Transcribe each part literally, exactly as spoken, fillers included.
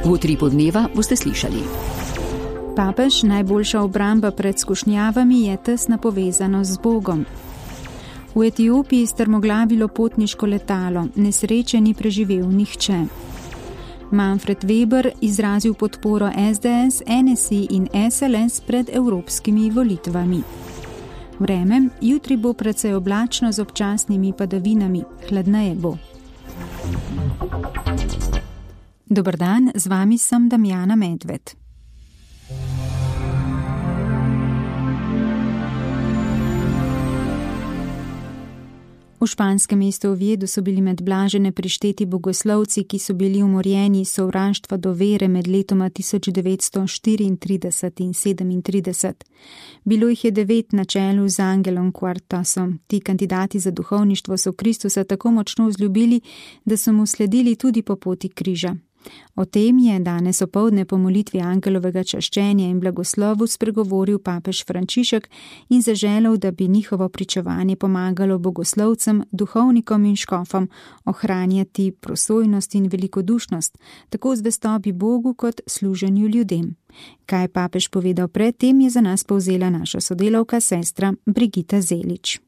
V utripu dneva boste slišali. Papež, najboljša obramba pred skušnjavami je tesna povezanost z Bogom. V Etiopiji strmoglavilo potniško letalo, nesreče ni preživel nihče. Manfred Weber izrazil podporo S D S, N S I in S L S pred evropskimi volitvami. Vreme, jutri bo precej oblačno z občasnimi padavinami, hladneje bo. Dober dan, z vami sem Damjana Medved. V španskem mestu Oviedo so bili med blažene prišteti bogoslovci, ki so bili umorjeni iz sovraštva do vere med letoma tisoč devetsto štiriintrideset in sedemintrideset. Bilo jih je devet na čelu z Angelom Cuartasom. Ti kandidati za duhovništvo so Kristusa tako močno vzljubili, da so mu sledili tudi po poti križa. O tem je danes opoldne po molitvi angelovega čaščenja in blagoslovu spregovoril papež Frančišek in zaželel, da bi njihovo pričevanje pomagalo bogoslovcem, duhovnikom in škofom ohranjati prosojnost in velikodušnost, tako zvestobi Bogu kot služenju ljudem. Kaj je papež povedal pred tem, je za nas povzela naša sodelavka, sestra Brigita Zelič.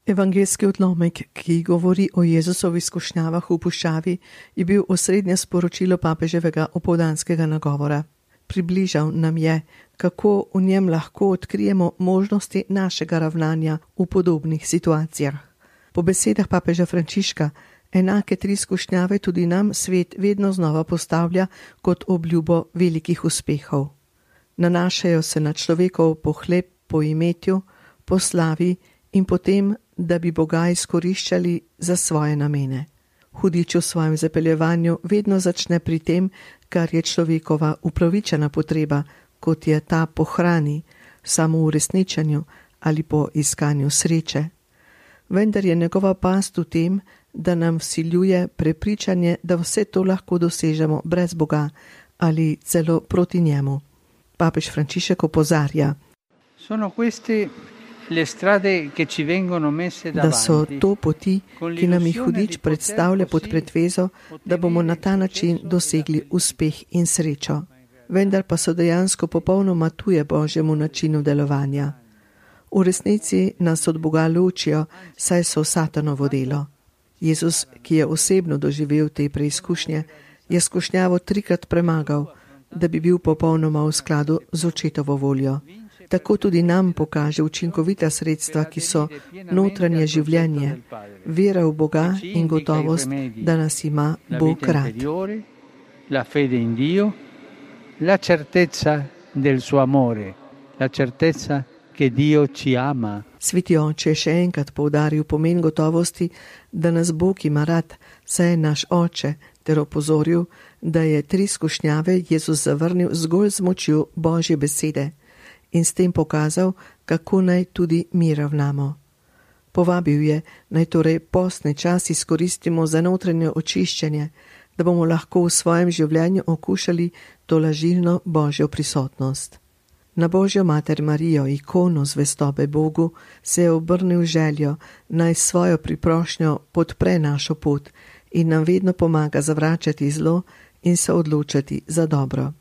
Evangeljski odlomek, ki govori o Jezusovih skušnjavah v puščavi, je bil osrednje sporočilo papeževega opoldanskega nagovora. Približal nam je, kako v njem lahko odkrijemo možnosti našega ravnanja v podobnih situacijah. Po besedah papeža Frančiška, enake tri skušnjave tudi nam svet vedno znova postavlja kot obljubo velikih uspehov. Nanašajo se na človekov pohlep po imetju, po slavi in potem, da bi Boga izkoriščali za svoje namene. Hudič v svojem zapeljevanju vedno začne pri tem, kar je človekova upravičena potreba, kot je ta po hrani, samouresničenju ali po iskanju sreče. Vendar je njegova past v tem, da nam vsiljuje prepričanje, da vse to lahko dosežemo brez Boga ali celo proti njemu. Papež Frančišek opozarja, Sono questi da so to poti, ki nam jih hudič predstavlja pod pretvezo, da bomo na ta način dosegli uspeh in srečo. Vendar pa so dejansko popolnoma tuje Božjemu načinu delovanja. V resnici nas od Boga ločijo, saj so satanovo delo. Jezus, ki je osebno doživel te preizkušnje, je skušnjavo trikrat premagal, da bi bil popolnoma v skladu z očetovo voljo. Tako tudi nam pokaže učinkovita sredstva, ki so notranje življenje, vera v Boga in gotovost, da nas ima Bog rad. La fede in Dio, la certezza del suo amore, la certezza che Dio ci ama. Sveti oče je še enkrat poudaril pomen gotovosti, da nas Bog ima rad, saj je naš oče, ter opozoril, da je tri skušnjave Jezus zavrnil zgolj z močjo Božje besede in s tem pokazal, kako naj tudi mi ravnamo. Povabil je, naj torej postni čas izkoristimo za notranje očiščenje, da bomo lahko v svojem življenju okušali to lažilno Božjo prisotnost. Na Božjo mater Marijo, ikono zvestobe Bogu, se je obrnil željo, naj svojo priprošnjo podpre našo pot in nam vedno pomaga zavračati zlo in se odločati za dobro.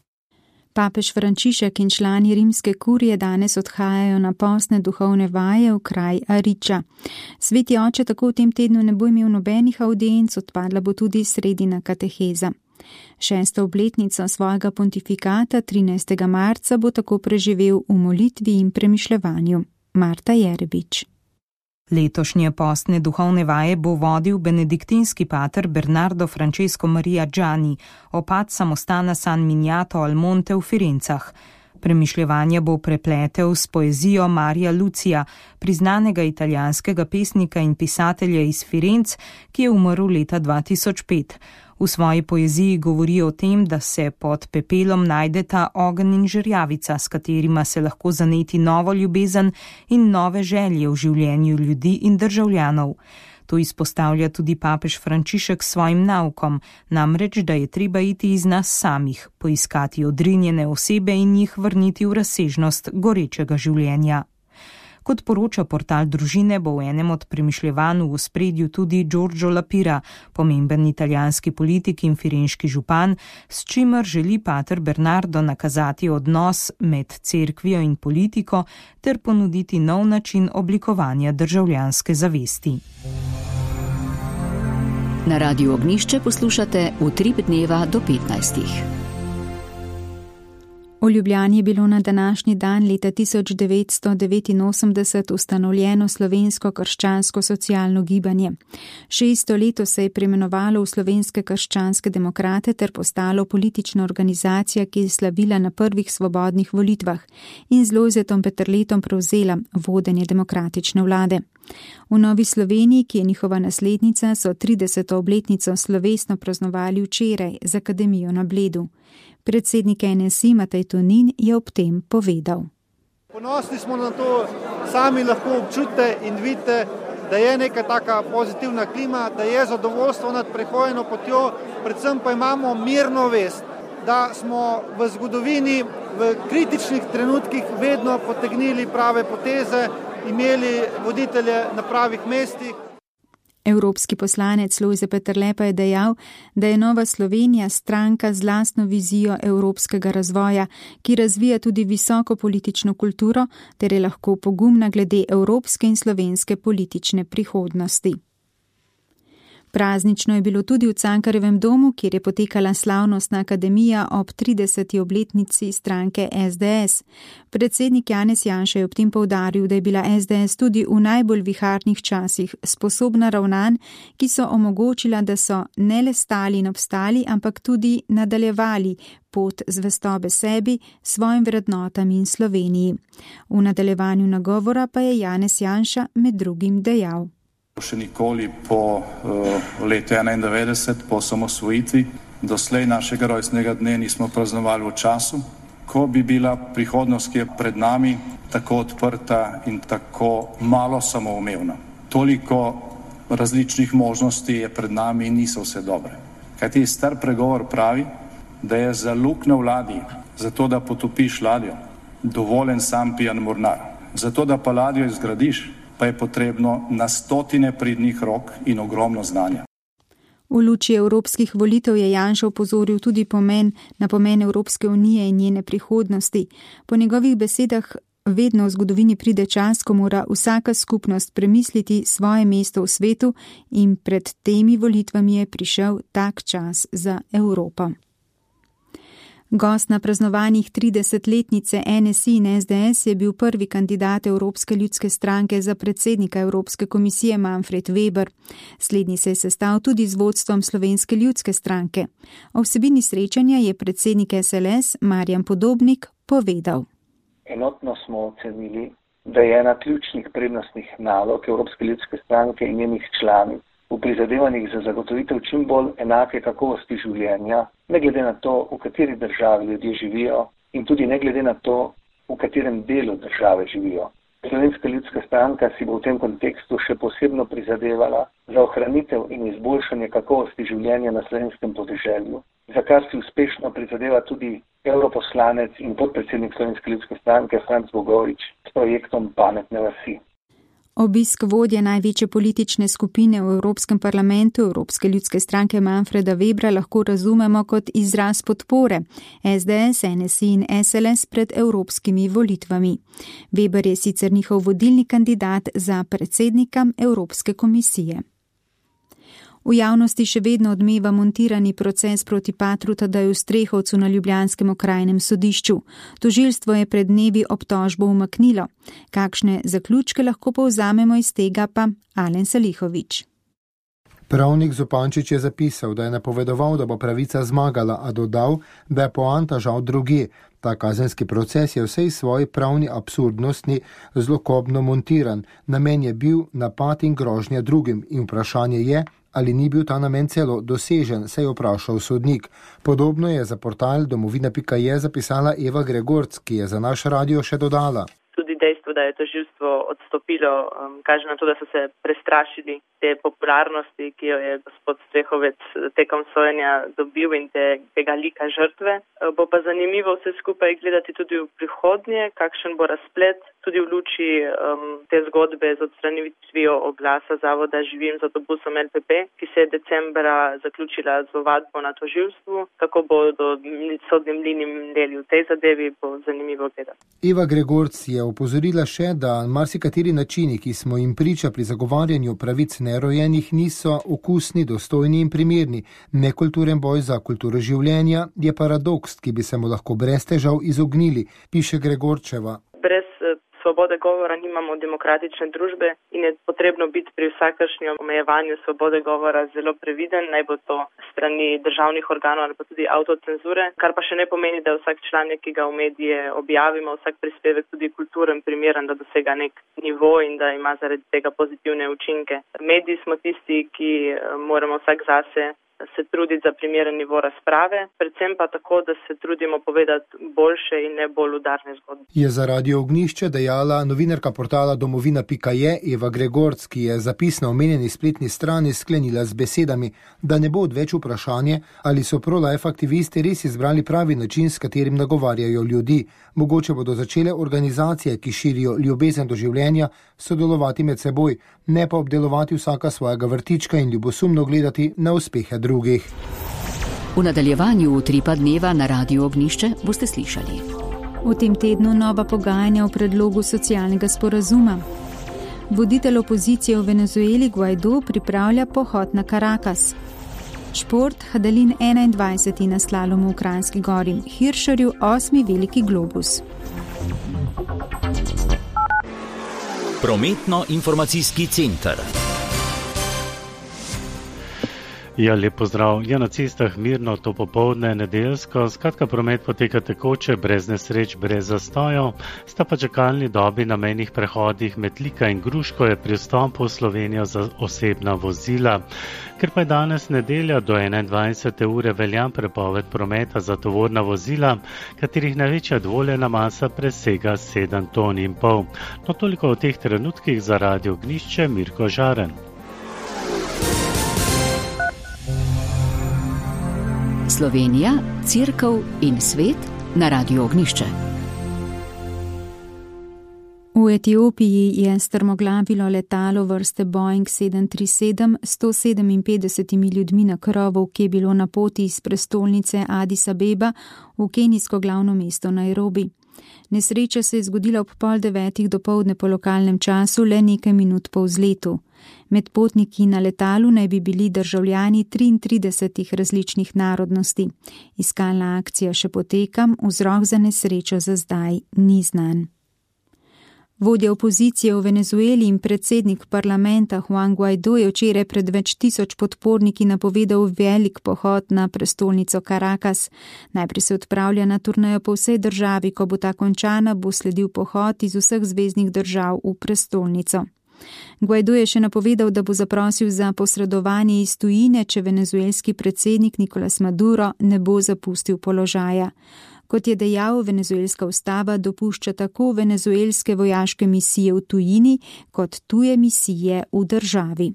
Papež Frančišek in člani rimske kurije danes odhajajo na postne duhovne vaje v kraj Ariča. Sveti oče tako v tem tednu ne bo imel nobenih avdienc, odpadla bo tudi sredina kateheza. Šesto obletnico svojega pontifikata trinajstega marca bo tako preživel v molitvi in premišljevanju. Marta Jerebič. Letošnje postne duhovne vaje bo vodil benediktinski pater Bernardo Francesco Maria Gianni, opat samostana San Miniato al Monte v Firencah. Premišljevanje bo prepletel s poezijo Marija Lucija, priznanega italijanskega pesnika in pisatelja iz Firenc, ki je umrl leta dva tisoč pet. V svoji poeziji govori o tem, da se pod pepelom najdeta ogenj in žerjavica, s katerima se lahko zaneti novo ljubezen in nove želje v življenju ljudi in državljanov. To izpostavlja tudi papež Frančišek s svojim naukom, namreč, da je treba iti iz nas samih, poiskati odrinjene osebe in jih vrniti v razsežnost gorečega življenja. Kot poroča portal Družine, bo v enem od premišljevanj v ospredju tudi Giorgio La Pira, pomemben italijanski politik in firenški župan, s čimer želi pater Bernardo nakazati odnos med cerkvijo in politiko ter ponuditi nov način oblikovanja državljanske zavesti. Na Radiu Ognjišče poslušate Utrip dneva do petnajstih. V Ljubljani je bilo na današnji dan leta tisoč devetsto devetinosemdeset ustanovljeno slovensko krščansko socialno gibanje. Šesto leto se je preimenovalo v Slovenske krščanske demokrate ter postalo politična organizacija, ki je slavila na prvih svobodnih volitvah in z Lojzetom Peterletom prevzela vodenje demokratične vlade. V Novi Sloveniji, ki je njihova naslednica, so trideseto obletnico slovesno praznovali včeraj z akademijo na Bledu. Predsednik N S I Matej Tonin je ob tem povedal. Ponosni smo na to, sami lahko občutite in vidite, da je neka taka pozitivna klima, da je zadovoljstvo nad prehojeno potjo, predvsem pa imamo mirno vest, da smo v zgodovini v kritičnih trenutkih vedno potegnili prave poteze, imeli voditelje na pravih mestih. Evropski poslanec Lojze Peterle pa je dejal, da je Nova Slovenija stranka z lastno vizijo evropskega razvoja, ki razvija tudi visoko politično kulturo ter je lahko pogumna glede evropske in slovenske politične prihodnosti. Praznično je bilo tudi v Cankarjevem domu, kjer je potekala slavnostna akademija ob trideseti obletnici stranke S D S. Predsednik Janez Janša je ob tem poudaril, da je bila S D S tudi v najbolj viharnih časih sposobna ravnanj, ki so omogočila, da so ne le stali in obstali, ampak tudi nadaljevali pot zvestobe sebi, svojim vrednotam in Sloveniji. V nadaljevanju nagovora pa je Janez Janša med drugim dejal. Še nikoli po uh, letu enaindevetdeset, po osamosvojitvi, doslej našega rojstnega dne nismo praznovali v času, ko bi bila prihodnost, ki je pred nami, tako odprta in tako malo samoumevna. Toliko različnih možnosti je pred nami in niso vse dobre. Kajti star pregovor pravi, da je za luknjo v ladji, zato da potopiš ladjo, dovoljen sam pijan mornar. Zato da pa ladjo izgradiš, pa je potrebno na stotine pridnih rok in ogromno znanja. V luči evropskih volitev je Janša opozoril tudi pomen, na pomen Evropske unije in njene prihodnosti. Po njegovih besedah vedno v zgodovini pride čas, ko mora vsaka skupnost premisliti svoje mesto v svetu in pred temi volitvami je prišel tak čas za Evropo. Gost na praznovanjih tridesetletnice N S I in S D S je bil prvi kandidat Evropske ljudske stranke za predsednika Evropske komisije Manfred Weber. Slednji se je sestal tudi z vodstvom Slovenske ljudske stranke. O vsebini srečanja je predsednik S L S Marjan Podobnik povedal. Enotno smo ocenili, da je ena ključnih prednostnih nalog Evropske ljudske stranke in njenih članic v prizadevanjih za zagotovitev čim bolj enake kakovosti življenja, ne glede na to, v kateri državi ljudje živijo in tudi ne glede na to, v katerem delu države živijo. Slovenska ljudska stranka si bo v tem kontekstu še posebno prizadevala za ohranitev in izboljšanje kakovosti življenja na slovenskem podeželju, za kar si uspešno prizadeva tudi europoslanec in podpredsednik Slovenske ljudske stranke Franc Bogovič s projektom Pametne vasi. Obisk vodje največje politične skupine v Evropskem parlamentu Evropske ljudske stranke Manfreda Webra lahko razumemo kot izraz podpore S D S, N S I in S L S pred evropskimi volitvami. Weber je sicer njihov vodilni kandidat za predsednika Evropske komisije. V javnosti še vedno odmeva montirani proces proti patru Tadeju Strehovcu na ljubljanskem okrajnem sodišču. Tožilstvo je pred dnevi obtožbo umaknilo. Kakšne zaključke lahko povzamemo iz tega, pa Alen Salihovič. Pravnik Zupančič je zapisal, da je napovedoval, da bo pravica zmagala, a dodal, da je poanta žal drugje. Ta kazenski proces je vsej svoji pravni absurdnosti zlokobno montiran. Namen je bil napad in grožnja drugim in vprašanje je, ali ni bil ta namen celo dosežen, se je vprašal sodnik. Podobno je za portal domovina pika je zapisala Eva Gregorc, ki je za naš radio še dodala. Tudi dejstvo, da je tožilstvo odstopilo, um, kaže na to, da so se prestrašili te popularnosti, ki jo je gospod Strehovec tekom sojenja dobil in te, tega lika žrtve. Bo pa zanimivo vse skupaj gledati tudi v prihodnje, kakšen bo razplet tudi v luči um, te zgodbe z odstranitvijo oglasa zavoda Živim z avtobusom L P P, ki se je decembra zaključila z ovadbo na tožilstvu. Kako bodo sodni mlini mneli v tej zadevi, bo zanimivo gledati. Eva Gregorc je opozorila še, da marsikateri načini, ki smo jim priča pri zagovarjanju pravic nerojenih, niso okusni, dostojni in primerni. Nekulturen boj za kulturo življenja je paradoks, ki bi se mu lahko brez težav izognili, piše Gregorčeva. Brez svobode govora nimamo demokratične družbe in je potrebno biti pri vsakršnem omejevanju svobode govora zelo previden, naj bo to strani državnih organov ali pa tudi avtocenzure, kar pa še ne pomeni, da je vsak članek, ki ga v medije objavimo, vsak prispevek tudi kulturen, primeren, da dosega nek nivo in da ima zaradi tega pozitivne učinke. Mediji smo tisti, ki moramo vsak zase se truditi za primeren nivo razprave, predvsem pa tako, da se trudimo povedati boljše in ne bolj udarne zgodbe. Je za Radio Ognjišče dejala novinarka portala domovina pika je Eva Gregorc, ki je zapis na omenjeni spletni strani sklenila z besedami, da ne bo odveč vprašanje, ali so pro-life aktivisti res izbrali pravi način, s katerim nagovarjajo ljudi. Mogoče bodo začele organizacije, ki širijo ljubezen do življenja, sodelovati med seboj, ne pa obdelovati vsaka svojega vrtička in ljubosumno gledati na uspehe drugih. V nadaljevanju Utripa dneva na Radiu Ognjišče boste slišali. V tem tednu nova pogajanja o predlogu socialnega sporazuma. Voditelj opozicije v Venezueli Guaidó pripravlja pohod na Caracas. Šport, Hadalin enaindvajseti na slalomu v Kranjski Gori, Hiršerju osmi veliki globus. Prometno-informacijski center. Ja, lep pozdrav. Ja, na cestah mirno to popoldne, nedeljsko. Skratka, promet poteka tekoče, brez nesreč, brez zastojev. Sta pa čakalni dobi na mejnih prehodih med Lika in Gruško je pri vstopu v Slovenijo za osebna vozila. Ker pa je danes nedelja do enaindvajsete ure velja prepoved prometa za tovorna vozila, katerih največja dovoljena masa presega sedem ton in pol. No, toliko o teh trenutkih za Radio Ognjišče, Mirko Žaren. Slovenija, Cerkev in svet na Radiu Ognjišče. V Etiopiji je strmoglavilo letalo vrste Boeing sedem tri sedem s sto sedeminpetdesetimi ljudmi na krovu, ki je bilo na poti iz prestolnice Addis Abeba v kenijsko glavno mesto Nairobi. Nesreča se je zgodila ob pol devetih dopoldne po lokalnem času, le nekaj minut po vzletu. Med potniki na letalu naj bi bili državljani triintridesetih različnih narodnosti. Iskalna akcija še poteka, vzrok za nesrečo za zdaj ni znan. Vodja opozicije v Venezueli in predsednik parlamenta Juan Guaidó je včeraj pred več tisoč podporniki napovedal velik pohod na prestolnico Caracas. Najprej se odpravlja na turnejo po vsej državi, ko bo ta končana, bo sledil pohod iz vseh zveznih držav v prestolnico. Guaidó je še napovedal, da bo zaprosil za posredovanje iz tujine, če venezuelski predsednik Nicolás Maduro ne bo zapustil položaja. Kot je dejal, venezuelska ustava dopušča tako venezuelske vojaške misije v tujini, kot tuje misije v državi.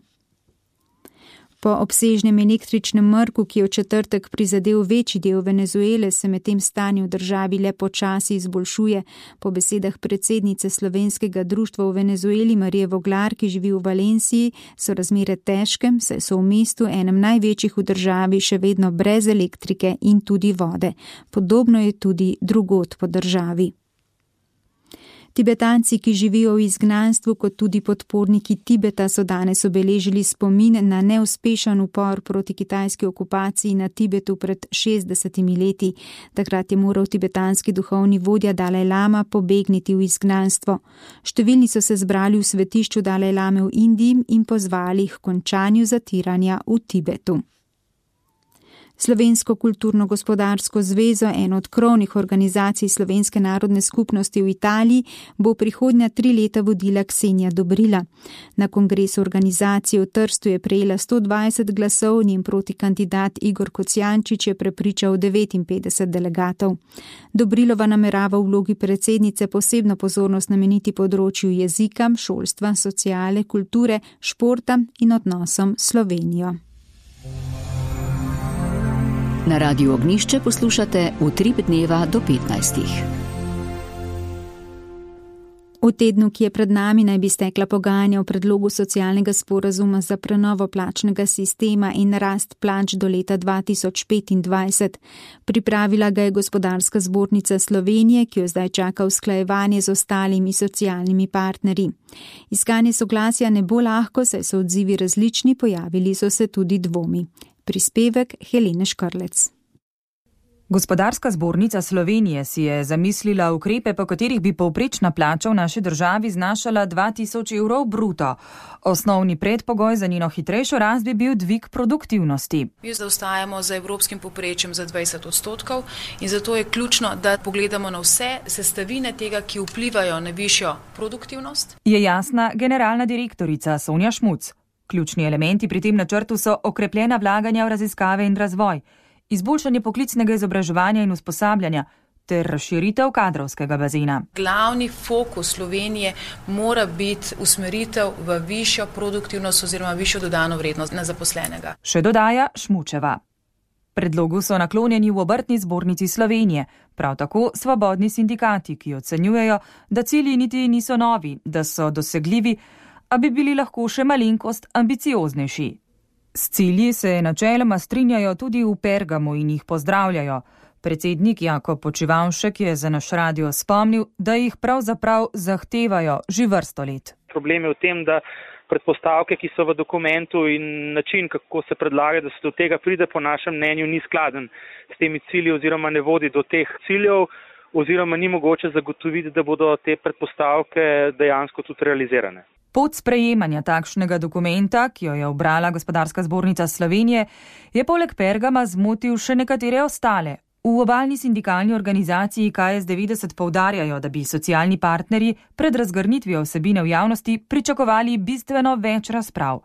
Po obsežnem električnem mrku, ki je v četrtek prizadel večji del Venezuele, se med tem stanje v državi le počasi izboljšuje. Po besedah predsednice Slovenskega društva v Venezueli Marije Voglar, ki živi v Valenciji, so razmere težke, saj so v mestu, enem največjih v državi, še vedno brez elektrike in tudi vode. Podobno je tudi drugod po državi. Tibetanci, ki živijo v izgnanstvu, kot tudi podporniki Tibeta, so danes obeležili spomin na neuspešen upor proti kitajski okupaciji na Tibetu pred šestdesetimi leti. Takrat je moral tibetanski duhovni vodja Dalaj Lama pobegniti v izgnanstvo. Številni so se zbrali v svetišču Dalaj Lame v Indiji in pozvali k končanju zatiranja v Tibetu. Slovensko kulturno-gospodarsko zvezo, eno od krovnih organizacij Slovenske narodne skupnosti v Italiji, bo prihodnja tri leta vodila Ksenija Dobrila. Na kongresu organizacije v Trstu je prejela sto dvajset glasov, njen protikandidat Igor Kocijančič je prepričal devetinpetdeset delegatov. Dobrilova namerava v vlogi predsednice posebno pozornost nameniti področju jezika, šolstva, sociale, kulture, športa in odnosom s Slovenijo. Na Radiu Ognjišče poslušate Utrip dneva do petnajstih. V tednu, ki je pred nami, naj bi stekla pogajanja o predlogu socialnega sporazuma za prenovo plačnega sistema in rast plač do leta dva tisoč petindvajset. Pripravila ga je Gospodarska zbornica Slovenije, ki jo zdaj čaka usklajevanje z ostalimi socialnimi partnerji. Iskanje soglasja ne bo lahko, saj so odzivi različni, pojavili so se tudi dvomi. Prispevek Helene Škrlec. Gospodarska zbornica Slovenije si je zamislila ukrepe, po katerih bi povprečna plača v naši državi znašala dva tisoč evrov bruto. Osnovni predpogoj za njeno hitrejšo rast bi bil dvig produktivnosti. Mi zaostajamo za evropskim povprečjem za dvajset odstotkov in zato je ključno, da pogledamo na vse sestavine tega, ki vplivajo na višjo produktivnost. Je jasna generalna direktorica Sonja Šmuc. Ključni elementi pri tem načrtu so okrepljena vlaganja v raziskave in razvoj, izboljšanje poklicnega izobraževanja in usposabljanja ter razširitev kadrovskega bazena. Glavni fokus Slovenije mora biti usmeritev v višjo produktivnost oziroma višjo dodano vrednost na zaposlenega. Še dodaja Šmučeva. Predlogu so naklonjeni v Obrtni zbornici Slovenije, prav tako svobodni sindikati, ki ocenjujejo, da cilji niti niso novi, da so dosegljivi, a bi bili lahko še malenkost ambicioznejši. S cilji se načeloma strinjajo tudi v Pergamu in jih pozdravljajo. Predsednik Jakob Počivavšek je za naš radio spomnil, da jih pravzaprav zahtevajo že vrsto let. Problem je v tem, da predpostavke, ki so v dokumentu in način, kako se predlaga, da se do tega pride, po našem mnenju ni skladen s temi cilji oziroma ne vodi do teh ciljev oziroma ni mogoče zagotoviti, da bodo te predpostavke dejansko tudi realizirane. Pot sprejemanja takšnega dokumenta, ki jo je obrala Gospodarska zbornica Slovenije, je poleg Pergama zmotil še nekatere ostale. V obalni sindikalni organizaciji K S devetdeset poudarjajo, da bi socialni partnerji pred razgrnitvijo vsebine v javnosti pričakovali bistveno več razprav.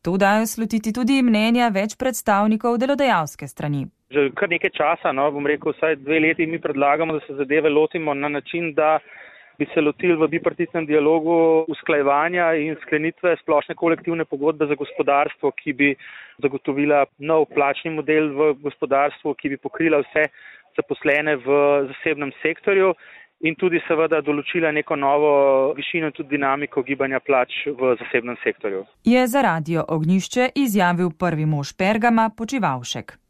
To dajo slutiti tudi mnenja več predstavnikov delodajalske strani. Že kar nekaj časa, no, bom rekel, vsaj dve leti mi predlagamo, da se zadeve lotimo na način, da bi se lotili v bipartitnem dialogu usklajevanja in sklenitve splošne kolektivne pogodbe za gospodarstvo, ki bi zagotovila nov plačni model v gospodarstvu, ki bi pokrila vse zaposlene v zasebnem sektorju in tudi seveda določila neko novo višino in tudi dinamiko gibanja plač v zasebnem sektorju. Je za Radio Ognjišče izjavil prvi mož Pergama Počivavšek.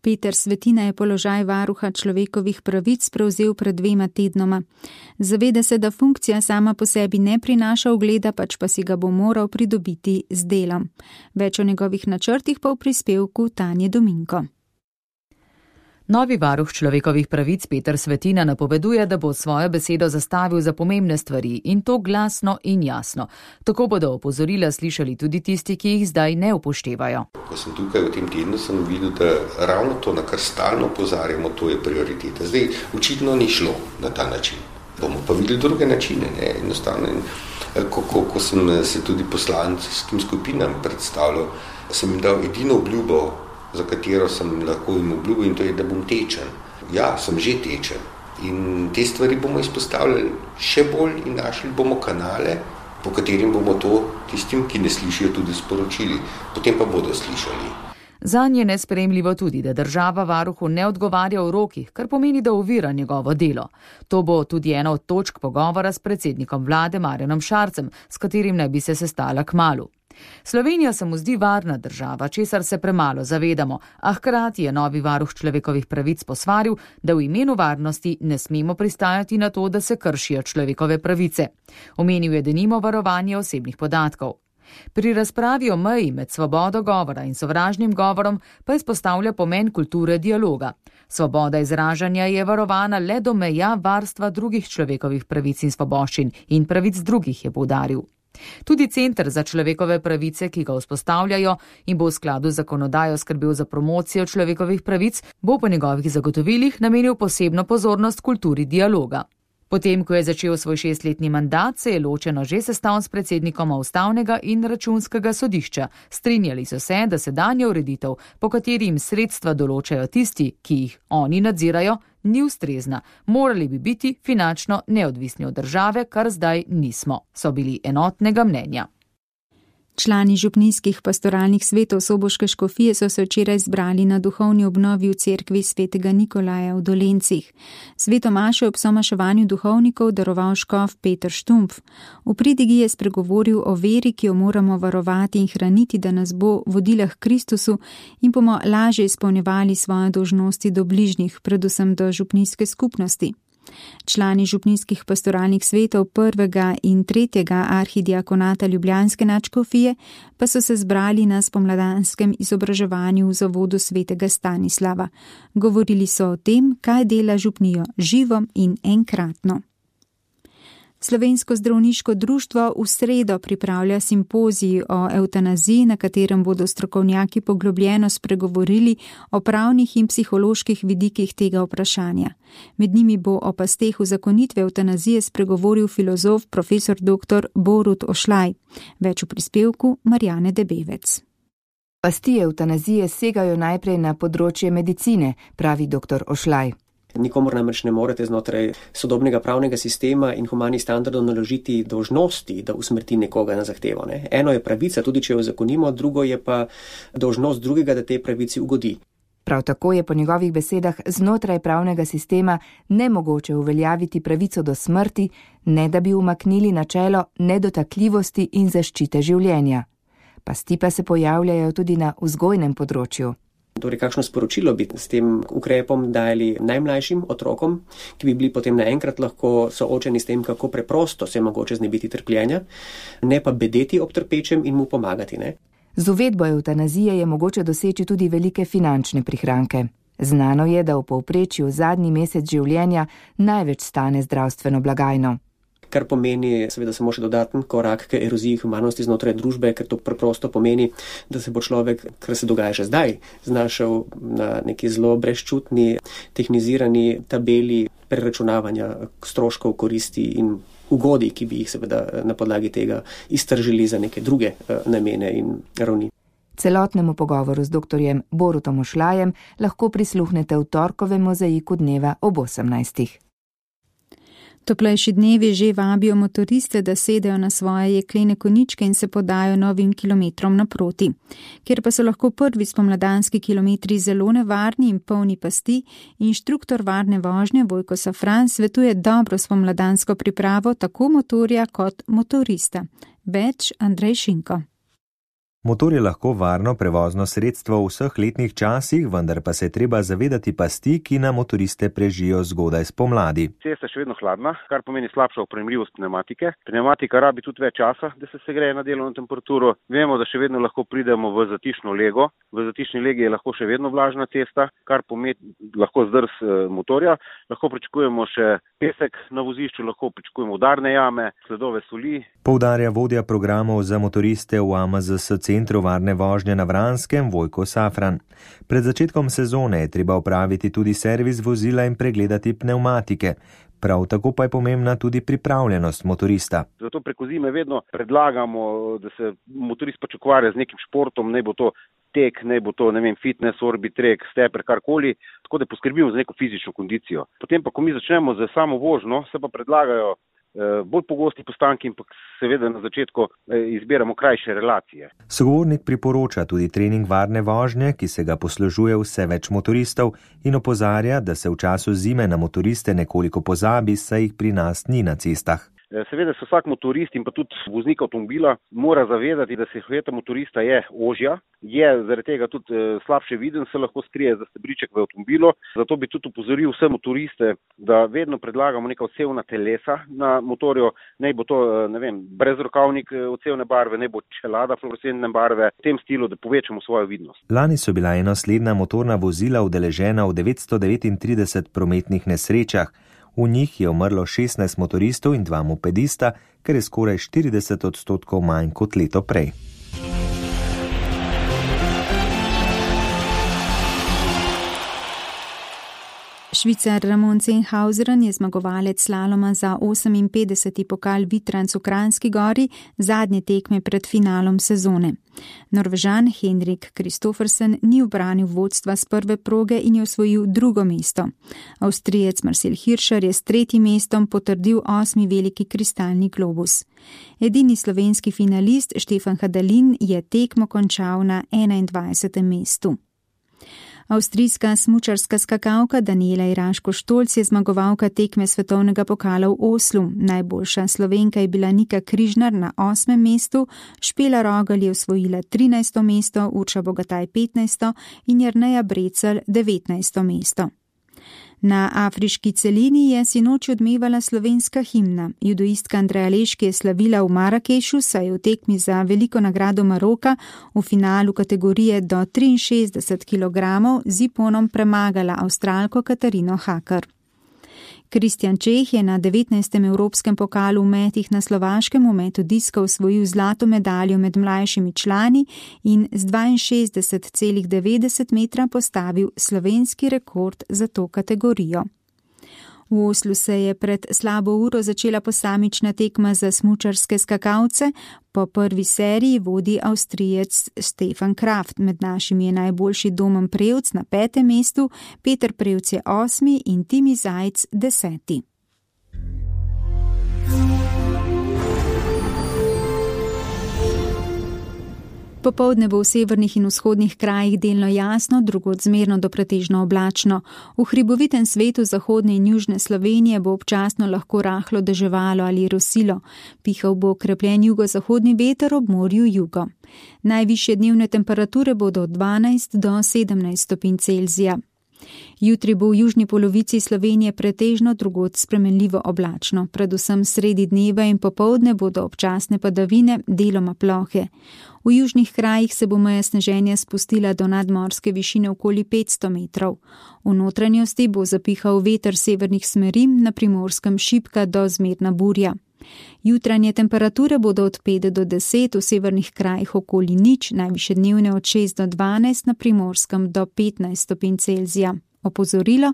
Peter Svetina je položaj varuha človekovih pravic prevzel pred dvema tednoma. Zaveda se, da funkcija sama po sebi ne prinaša ugleda, pač pa si ga bo moral pridobiti z delom. Več o njegovih načrtih pa v prispevku Tanje Dominko. Novi varuh človekovih pravic Peter Svetina napoveduje, da bo svojo besedo zastavil za pomembne stvari in to glasno in jasno. Tako bodo opozorila slišali tudi tisti, ki jih zdaj ne upoštevajo. Ko sem tukaj v tem tednu, sem videl, da ravno to, na kar stalno opozarjamo, to je prioriteta. Zdaj, očitno ni šlo na ta način. Bomo pa videli druge načine, ne, enostavno. Ko, ko, ko sem se tudi poslanskim skupinam predstavljal, sem jim dal edino obljubo, za katero sem lahko jim obljubil, in to je, da bom tečen. Ja, sem že tečen. In te stvari bomo izpostavljali še bolj in našli bomo kanale, po katerim bomo to tistim, ki ne slišijo, tudi sporočili. Potem pa bodo slišali. Zanj je nesprejemljivo tudi, da država varuhu ne odgovarja v rokih, kar pomeni, da ovira njegovo delo. To bo tudi ena od točk pogovora s predsednikom vlade Marjanom Šarcem, s katerim naj bi se sestala kmalu. Slovenija se mu zdi varna država, česar se premalo zavedamo, a hkrati je novi varuh človekovih pravic posvaril, da v imenu varnosti ne smemo pristajati na to, da se kršijo človekove pravice. Omenil je denimo varovanje osebnih podatkov. Pri razpravi o meji med svobodo govora in sovražnim govorom pa izpostavlja pomen kulture dialoga. Svoboda izražanja je varovana le do meja varstva drugih človekovih pravic in svoboščin in pravic drugih, je poudaril. Tudi Center za človekove pravice, ki ga vzpostavljajo in bo v skladu z zakonodajo skrbel za promocijo človekovih pravic, bo po njegovih zagotovilih namenil posebno pozornost kulturi dialoga. Potem, ko je začel svoj šestletni mandat, se je ločeno že sestal s predsednikoma Ustavnega in Računskega sodišča. Strinjali so se, da sedanja ureditev, po kateri jim sredstva določajo tisti, ki jih oni nadzirajo, ni ustrezna. Morali bi biti finančno neodvisni od države, kar zdaj nismo, so bili enotnega mnenja. Člani župnijskih pastoralnih svetov Soboške škofije so se včeraj zbrali na duhovni obnovi v cerkvi svetega Nikolaja v Dolencih. Sveto mašo ob somaševanju duhovnikov daroval škof Peter Štumpf. V pridigi je spregovoril o veri, ki jo moramo varovati in hraniti, da nas bo vodila k Kristusu in bomo lažje izpolnjevali svoje dolžnosti do bližnjih, predvsem do župnijske skupnosti. Člani župnijskih pastoralnih svetov prvega in tretjega arhidiakonata Ljubljanske nadškofije pa so se zbrali na spomladanskem izobraževanju v zavodu svetega Stanislava. Govorili so o tem, kaj dela župnijo živo in enkratno. Slovensko zdravniško društvo v sredo pripravlja simpozij o evtanaziji, na katerem bodo strokovnjaki poglobljeno spregovorili o pravnih in psiholoških vidikih tega vprašanja. Med njimi bo o pasteh uzakonitve evtanazije spregovoril filozof profesor doktor Borut Ošlaj. Več v prispevku Marjane Debevec. Pasti evtanazije segajo najprej na področje medicine, pravi doktor Ošlaj. Nikomor namreč ne morete znotraj sodobnega pravnega sistema in humanih standardov naložiti dolžnosti, da usmrti nekoga na zahtevo. Ne? Eno je pravica, tudi če jo zakonimo, drugo je pa dolžnost drugega, da tej pravici ugodi. Prav tako je po njegovih besedah znotraj pravnega sistema nemogoče uveljaviti pravico do smrti, ne da bi umaknili načelo nedotakljivosti in zaščite življenja. Pasti pa se pojavljajo tudi na vzgojnem področju. Torej, kakšno sporočilo bi s tem ukrepom dali najmlajšim otrokom, ki bi bili potem naenkrat lahko soočeni s tem, kako preprosto se je mogoče znebiti trpljenja, ne pa bedeti ob trpečem in mu pomagati. Ne? Z uvedbo evtanazije je mogoče doseči tudi velike finančne prihranke. Znano je, da v povprečju zadnji mesec življenja največ stane zdravstveno blagajno. Kar pomeni seveda samo še dodaten korak k eroziji humanosti znotraj družbe, ker to preprosto pomeni, da se bo človek, kar se dogaja že zdaj, znašel na neki zelo brezčutni, tehnizirani tabeli preračunavanja stroškov, koristi in ugodij, ki bi jih seveda na podlagi tega iztržili za neke druge namene in ravni. Celotnemu pogovoru z doktorjem Borutom Ošlajem lahko prisluhnete v torkovem mozaiku dneva ob osemnajstih. Toplejši dnevi že vabijo motoriste, da sedejo na svoje jeklene koničke in se podajo novim kilometrom naproti. Ker pa so lahko prvi spomladanski kilometri zelo nevarni in polni pasti, inštruktor varne vožnje Vojko Safran svetuje dobro spomladansko pripravo tako motorja kot motorista. Več Andrej Šinko. Motor je lahko varno prevozno sredstvo v vseh letnih časih, vendar pa se je treba zavedati pasti, ki na motoriste prežijo zgodaj spomladi. Cesta je še vedno hladna, kar pomeni slabša opremljivost pneumatike. Pneumatika rabi tudi več časa, da se segreje na delovno temperaturo. Vemo, da še vedno lahko pridemo v zatišno lego. V zatišni legi je lahko še vedno vlažna cesta, kar pomeni lahko zdrs motorja. Lahko pričakujemo še pesek na vozišču, lahko pričakujemo udarne jame, sledove soli. Poudarja vodja programov za motoriste v A M Z S Centru varne vožnje na Vranskem Vojko Safran. Pred začetkom sezone je treba opraviti tudi servis vozila in pregledati pneumatike. Prav tako pa je pomembna tudi pripravljenost motorista. Zato preko zime vedno predlagamo, da se motorist pač ukvarja z nekim športom, naj bo to tek, naj bo to, ne vem, fitness, orbitrek, steper, karkoli, tako da poskrbimo za neko fizično kondicijo. Potem pa, ko mi začnemo z samo vožnjo, se pa predlagajo bolj pogosti postanki in pa seveda na začetku izbiramo krajše relacije. Sogovornik priporoča tudi trening varne vožnje, ki se ga poslužuje vse več motoristov in opozarja, da se v času zime na motoriste nekoliko pozabi, saj jih pri nas ni na cestah. Seveda se vsak motorist in pa tudi voznik avtomobila mora zavedati, da silhueta motorista je ožja, je zaradi tega tudi slabše viden, se lahko skrije za stebriček v avtomobilu. Zato bi tudi upozoril vse motoriste, da vedno predlagamo neka odsevna telesa na motorju, naj bo to, ne vem, brezrokavnik odsevne barve, naj bo čelada fluorescentne barve, v tem stilu, da povečamo svojo vidnost. Lani so bila enosledna motorna vozila udeležena v devetsto devetintrideset prometnih nesrečah. V njih je umrlo šestnajst motoristov in dva mopedista, kar je skoraj štirideset odstotkov manj kot leto prej. Švicar Ramon Zenhauseren je zmagovalec slaloma za oseminpetdeseti pokal Vitranc v Kranjski Gori, zadnje tekme pred finalom sezone. Norvežan Henrik Kristoffersen ni ubranil vodstva s prve proge in je osvojil drugo mesto. Avstrijec Marcel Hirscher je s tretjim mestom potrdil osmi veliki kristalni globus. Edini slovenski finalist Štefan Hadalin je tekmo končal na enaindvajsetem mestu. Avstrijska smučarska skakalka Daniela Iraško-Štolc je zmagovalka tekme svetovnega pokala v Oslu. Najboljša Slovenka je bila Nika Križnar na osmem mestu, Špela Rogelj je osvojila trinajsto mesto, Urša Bogataj petnajsto in Jerneja Brecelj devetnajsto mesto. Na afriški celini je sinoči odmevala slovenska himna. Judoistka Andreja Leški je slavila v Marakešu, saj je v tekmi za veliko nagrado Maroka v finalu kategorije do triinšestdeset kilogramov z iponom premagala Avstralko Katarino Hakar. Kristjan Čeh je na devetnajstem evropskem pokalu v metih na Slovaškem v metu diska osvojil zlato medaljo med mlajšimi člani in z dvainšestdeset celih devetdeset metra postavil slovenski rekord za to kategorijo. V Oslu se je pred slabo uro začela posamična tekma za smučarske skakalce. Po prvi seriji vodi Avstrijec Stefan Kraft, med našimi je najboljši Domen Prevc na petem mestu, Peter Prevc je osmi in Timi Zajc deseti. Popoldne bo v severnih in vzhodnih krajih delno jasno, drugod zmerno do pretežno oblačno. V hribovitem svetu zahodne in južne Slovenije bo občasno lahko rahlo deževalo ali rosilo. Pihal bo okrepljen jugozahodni veter, ob morju jugo. Najvišje dnevne temperature bodo od dvanajst do sedemnajst stopinj Celzija. Jutri bo v južni polovici Slovenije pretežno, drugod spremenljivo oblačno. Predvsem sredi dneva in popoldne bodo občasne padavine, deloma plohe. V južnih krajih se bo meja sneženja spustila do nadmorske višine okoli petsto metrov. V notranjosti bo zapihal veter severnih smeri, na Primorskem šibka do zmerna burja. Jutranje temperature bodo od pet do deset, v severnih krajih okoli nič, najvišje dnevne od šest do dvanajst, na Primorskem do petnajst stopinj Celzija. Opozorilo,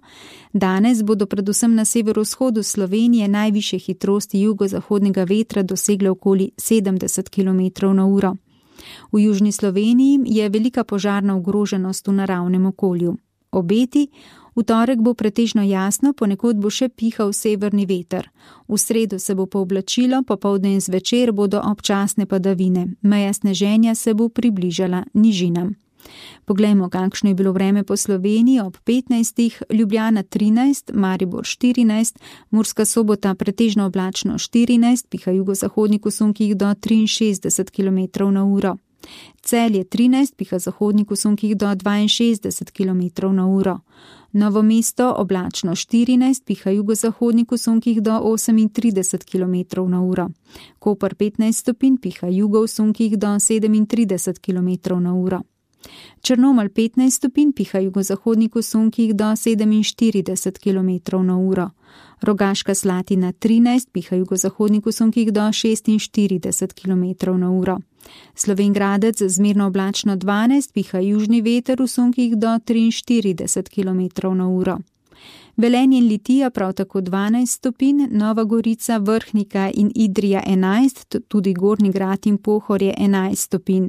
danes bodo predvsem na severovzhodu Slovenije najvišje hitrosti jugozahodnega vetra dosegle okoli sedemdeset kilometrov na uro. V južni Sloveniji je velika požarna ogroženost v naravnem okolju. Obeti, v torek bo pretežno jasno, ponekod bo še pihal severni veter. V sredo se bo pooblačilo, popoldne in zvečer bodo občasne padavine. Meja sneženja se bo približala nižinam. Poglejmo, kakšno je bilo vreme po Sloveniji ob petnajstih, Ljubljana trinajst, Maribor štirinajst, Murska Sobota pretežno oblačno štirinajst, piha jugozahodnik v sunkih do triinšestdeset kilometrov na uro. Celje trinajst, piha zahodnik v sunkih do dvainšestdeset kilometrov na uro. Novo mesto oblačno štirinajst, piha jugozahodnik v sunkih do osemintrideset kilometrov na uro. Koper petnajst stopinj, piha jugo v sunkih do sedemintrideset kilometrov na uro. Črnomelj petnajst stopinj, piha jugozahodnik v sunkih do sedeminštirideset kilometrov na uro. Rogaška Slatina trinajst, piha jugozahodnik v sunkih do šestinštirideset kilometrov na uro. Slovenj Gradec zmerno oblačno dvanajst, piha južni veter v sunkih do triinštirideset kilometrov na uro. Velenje in Litija prav tako dvanajst stopinj, Nova Gorica, Vrhnika in Idrija enajst, tudi Gornji Grad in Pohorje enajst stopinj.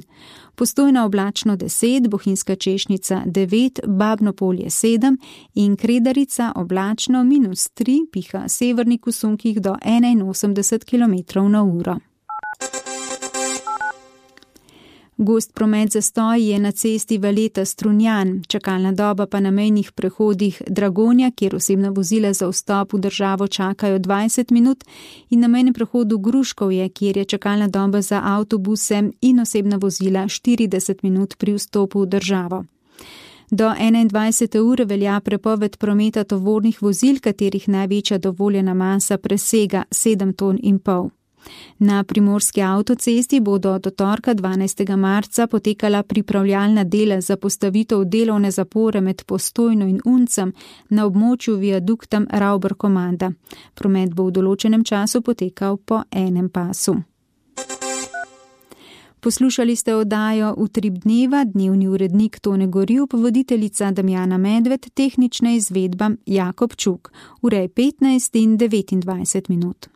Postojna oblačno deset, Bohinjska Češnica devet, Babno Polje sedem in Kredarica oblačno minus tri, piha severnik v sunkih do enainosemdeset kilometrov na uro. Gost promet zastoj je na cesti Valeta-Strunjan, čakalna doba pa na mejnih prehodih Dragonja, kjer osebna vozila za vstop v državo čakajo dvajset minut, in na mejnem prehodu Gruškovje, kjer je čakalna doba za avtobuse in osebna vozila štirideset minut pri vstopu v državo. Do enaindvajsete ure velja prepoved prometa tovornih vozil, katerih največja dovoljena masa presega sedem ton in pol. Na primorski avtocesti bodo do torka dvanajstega marca potekala pripravljalna dela za postavitev delovne zapore med Postojno in Uncem na območju viadukta Ravber-Komanda. Promet bo v določenem času potekal po enem pasu. Poslušali ste oddajo Utrip dneva, dnevni urednik Tone Gorjup, voditeljica Damjana Medved, tehnična izvedba Jakob Čuk. Ura je petnajst in devetindvajset minut.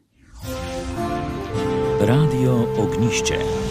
Radio Ognjišče.